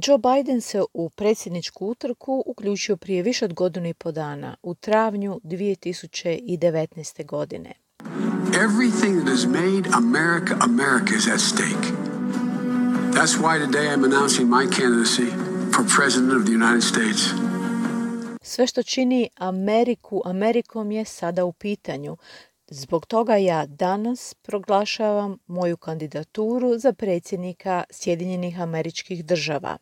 Joe Biden se u predsjedničku utrku uključio prije više od godinu i po dana, u travnju 2019. godine. Everything that has made America America is at stake. That's why today I'm announcing my candidacy for President of the United States. Sve što čini Ameriku Amerikom je sada u pitanju. Zbog toga ja danas proglašavam moju kandidaturu za predsjednika Sjedinjenih Američkih Država.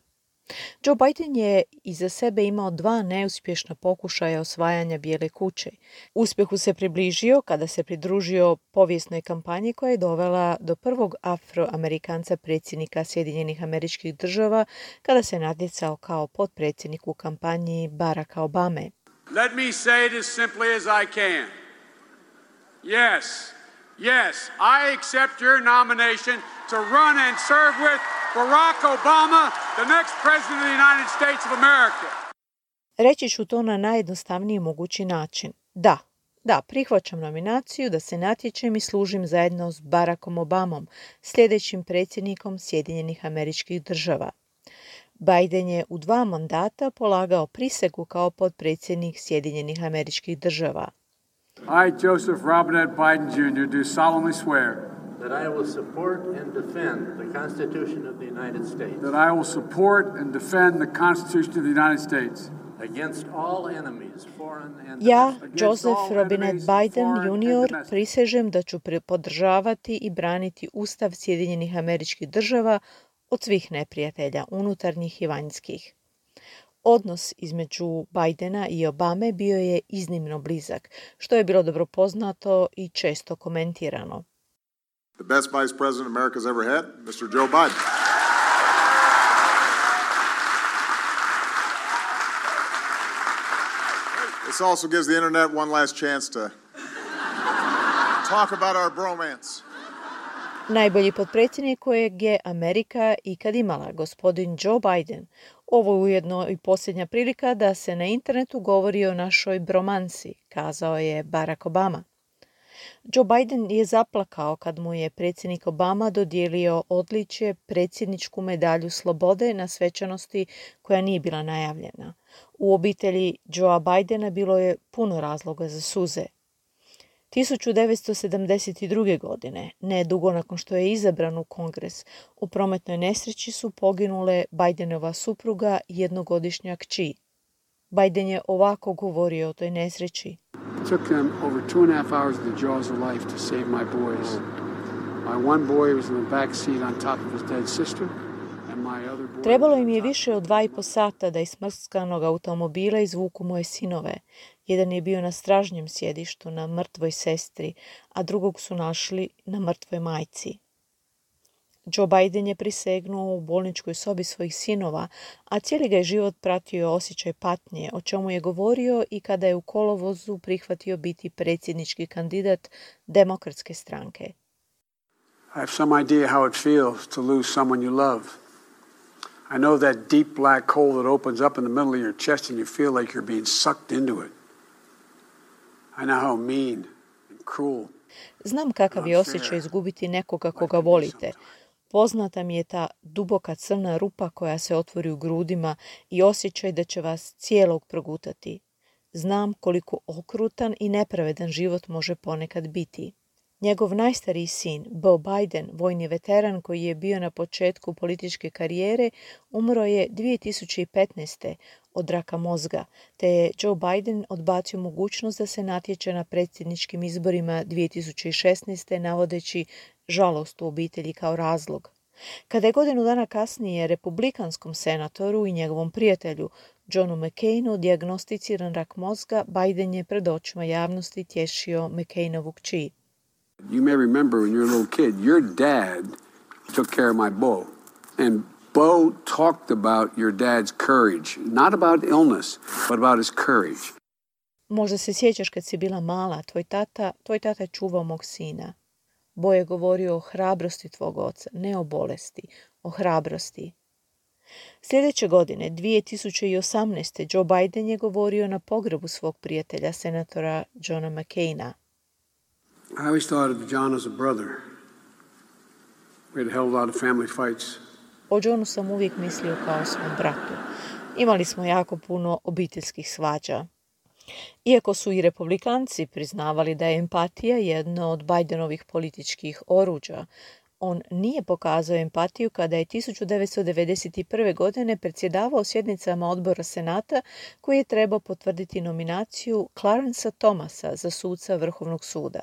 Joe Biden je iza sebe imao 2 neuspješna pokušaja osvajanja Bijele kuće. Uspjehu se približio kada se pridružio povijesnoj kampanji koja je dovela do prvog Afroamerikanca predsjednika Sjedinjenih Američkih Država kada se natjecao kao potpredsjednik u kampanji Baracka Obame. Let me say it as simply as I can. Yes, I accept your nomination to run and serve with Barack Obama, the next president of the United States of America. Reći ću to na najjednostavniji mogući način. Da, prihvaćam nominaciju da se natječem i služim zajedno s Barackom Obamom, sljedećim predsjednikom Sjedinjenih Američkih Država. Biden je u 2 mandata polagao prisegu kao potpredsjednik Sjedinjenih Američkih Država. I, Joseph Robinette Biden Jr., do solemnly swear that I will support and defend the Constitution of the United States. That I will support and defend the Constitution of the United States. Against all enemies, foreign and Ja, Joseph Robinette Biden Jr., prisežem da ću podržavati i braniti Ustav Sjedinjenih Američkih Država od svih neprijatelja, unutarnjih i vanjskih. Odnos između Bidena i Obame bio je iznimno blizak, što je bilo dobro poznato i često komentirano. The best vice president America's ever had, Mr. Joe Biden. This also gives the internet one last chance to talk about our bromance. Najbolji potpredsjednik kojeg je Amerika ikad imala, gospodin Joe Biden. Ovo je ujedno i posljednja prilika da se na internetu govori o našoj bromansi, kazao je Barack Obama. Joe Biden je zaplakao kad mu je predsjednik Obama dodijelio odličje predsjedničku medalju slobode na svečanosti koja nije bila najavljena. U obitelji Joea Bidena bilo je puno razloga za suze. 1972. godine, ne dugo nakon što je izabran u Kongres, u prometnoj nesreći su poginule Bidenova supruga i 1-godišnja kći. Biden je ovako govorio o toj nesreći. It took them over 2.5 hours of the jaws of life to save my boys. My one boy was in the back seat on top of his dead sister. Trebalo im je više od 2,5 sata da iz smrtskanog automobila izvuku moje sinove. Jedan je bio na stražnjem sjedištu na mrtvoj sestri, a drugog su našli na mrtvoj majci. Joe Biden je prisegnuo u bolničkoj sobi svojih sinova, a cijeli ga je život pratio osjećaj patnje, o čemu je govorio i kada je u kolovozu prihvatio biti predsjednički kandidat Demokratske stranke. I have some idea how it feels to lose someone you love. I know that deep black hole that opens up in the middle of your chest and you feel like you're being sucked into it. I know how mean and cruel. Znam kakav je osjećaj izgubiti nekoga koga volite. Poznata mi je ta duboka crna rupa koja se otvori u grudima i osjećaj da će vas cijelog progutati. Znam koliko okrutan i nepravedan život može ponekad biti. Njegov najstariji sin, Beau Biden, vojni veteran koji je bio na početku političke karijere, umro je 2015. od raka mozga, te je Joe Biden odbacio mogućnost da se natječe na predsjedničkim izborima 2016. navodeći žalost u obitelji kao razlog. Kada je godinu dana kasnije republikanskom senatoru i njegovom prijatelju Johnu McCainu dijagnosticiran rak mozga, Biden je pred očima javnosti tješio McCainovu kći. You may remember when you were a little kid, your dad took care of my Beau. And Beau talked about your dad's courage. Not about illness, but about his courage. Možda se sjećaš kad si bila mala, tvoj tata je čuvao mog sina. Beau je govorio o hrabrosti tvog oca, ne o bolesti, o hrabrosti. Sljedeće godine, 2018. Joe Biden je govorio na pogrebu svog prijatelja, senatora Johna McCaina. I always thought of John as a brother. We had held a lot of family fights. O Johnu sam uvijek mislio kao o svom bratu. Imali smo jako puno obiteljskih svađa. Iako su i republikanci priznavali da je empatija jedno od Bidenovih političkih oruđa, on nije pokazao empatiju kada je 1991. godine predsjedavao sjednicama odbora Senata koji je trebao potvrditi nominaciju Clarencea Thomasa za suca Vrhovnog suda.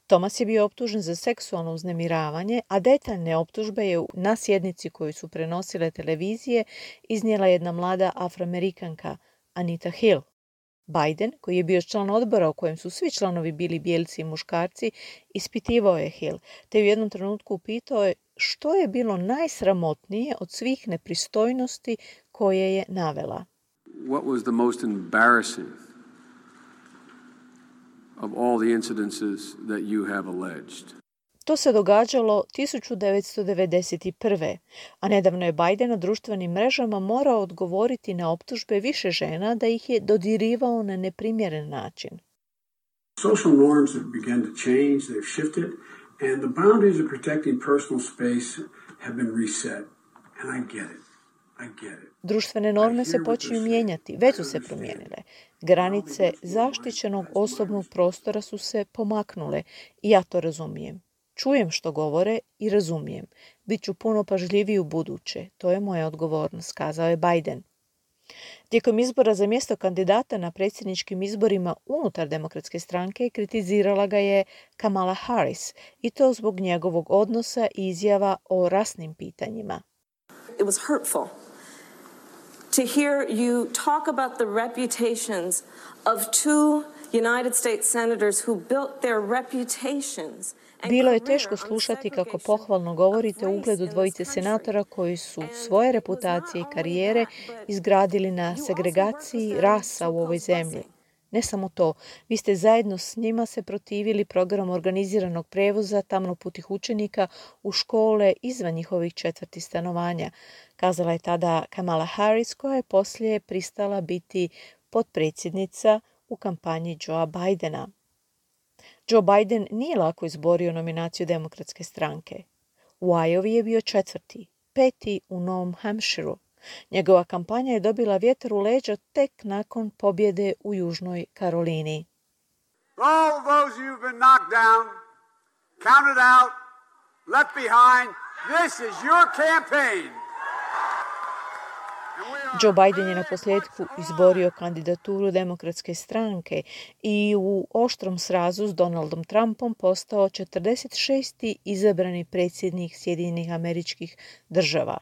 Thomas je bio optužen za seksualno uznemiravanje, a detaljne optužbe je na sjednici koju su prenosile televizije iznijela jedna mlada Afroamerikanka, Anita Hill. Biden, koji je bio član odbora u kojem su svi članovi bili bijelci i muškarci, ispitivao je Hill, te u jednom trenutku upitao je što je bilo najsramotnije od svih nepristojnosti koje je navela. What was the most embarrassing of all the incidences that you have alleged? To se događalo 1991. A nedavno je Biden na društvenim mrežama morao odgovoriti na optužbe više žena da ih je dodirivao na neprimjeren način. Social norms have begun to change, they've shifted, and the boundaries of protecting personal space have been reset. And I get it. Društvene norme se počinju mijenjati, već su se promijenile. Granice zaštićenog osobnog prostora su se pomaknule i ja to razumijem. Čujem što govore i razumijem. Biću puno pažljiviji u buduće. To je moja odgovornost, kazao je Biden. Tijekom izbora za mjesto kandidata na predsjedničkim izborima unutar Demokratske stranke kritizirala ga je Kamala Harris i to zbog njegovog odnosa i izjava o rasnim pitanjima. It was hurtful to hear you talk about the reputations of two United States senators who built their reputations. Bilo je teško slušati kako pohvalno govorite o ugledu dvojice senatora koji su svoje reputacije i karijere izgradili na segregaciji rasa u ovoj zemlji. Ne samo to, vi ste zajedno s njima se protivili programu organiziranog prevoza tamnoputih učenika u škole izvan njihovih četvrti stanovanja, kazala je tada Kamala Harris, koja je poslije pristala biti potpredsjednica u kampanji Joea Bidena. Joe Biden nije lako izborio nominaciju Demokratske stranke. U Iowa je bio četvrti, peti u Novom Hampshireu. Njegova kampanja je dobila vjetar u leđa tek nakon pobjede u Južnoj Karolini. All those who've been knocked down, counted out, left behind, this is your campaign. Joe Biden je na posljedku izborio kandidaturu Demokratske stranke i u oštrom srazu s Donaldom Trumpom postao 46. izabrani predsjednik Sjedinjenih Američkih Država.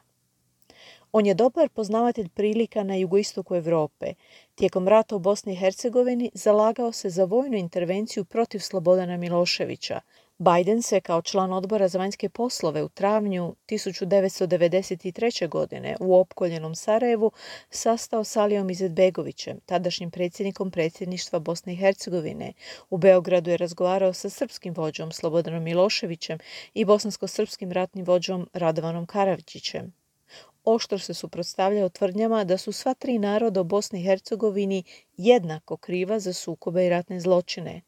On je dobar poznavatelj prilika na jugoistoku Europe. Tijekom rata u Bosni i Hercegovini zalagao se za vojnu intervenciju protiv Slobodana Miloševića. Biden se kao član odbora za vanjske poslove u travnju 1993. godine u opkoljenom Sarajevu sastao s Alijom Izetbegovićem, tadašnjim predsjednikom predsjedništva Bosne i Hercegovine. U Beogradu je razgovarao sa srpskim vođom Slobodanom Miloševićem i bosansko-srpskim ratnim vođom Radovanom Karadžićem. Oštro se suprotstavljao tvrdnjama da su sva tri naroda u Bosni i Hercegovini jednako kriva za sukobe i ratne zločine.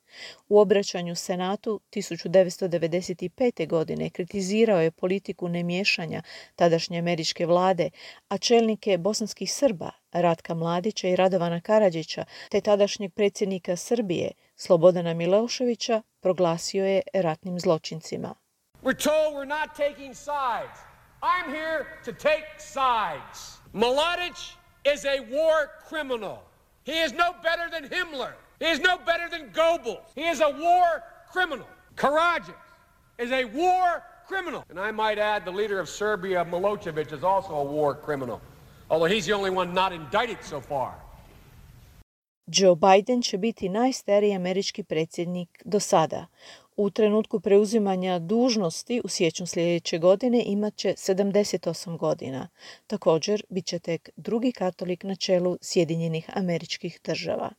U obraćanju Senatu 1995. godine kritizirao je politiku nemiješanja tadašnje američke vlade, a čelnike bosanskih Srba, Ratka Mladića i Radovana Karadžića, te tadašnjeg predsjednika Srbije, Slobodana Miloševića, proglasio je ratnim zločincima. We're told we're not taking sides. I'm here to take sides. Mladić is a war criminal. He is no better than Himmler. He is no better than Goebbels. He is a war criminal. Karadzic is a war criminal. And I might add the leader of Serbia, Milosevic, is also a war criminal. Although he's the only one not indicted so far. Joe Biden će biti najstariji američki predsjednik do sada. U trenutku preuzimanja dužnosti u siječnju sljedeće godine imat će 78 godina. Također, bit će tek drugi katolik na čelu Sjedinjenih Američkih Država.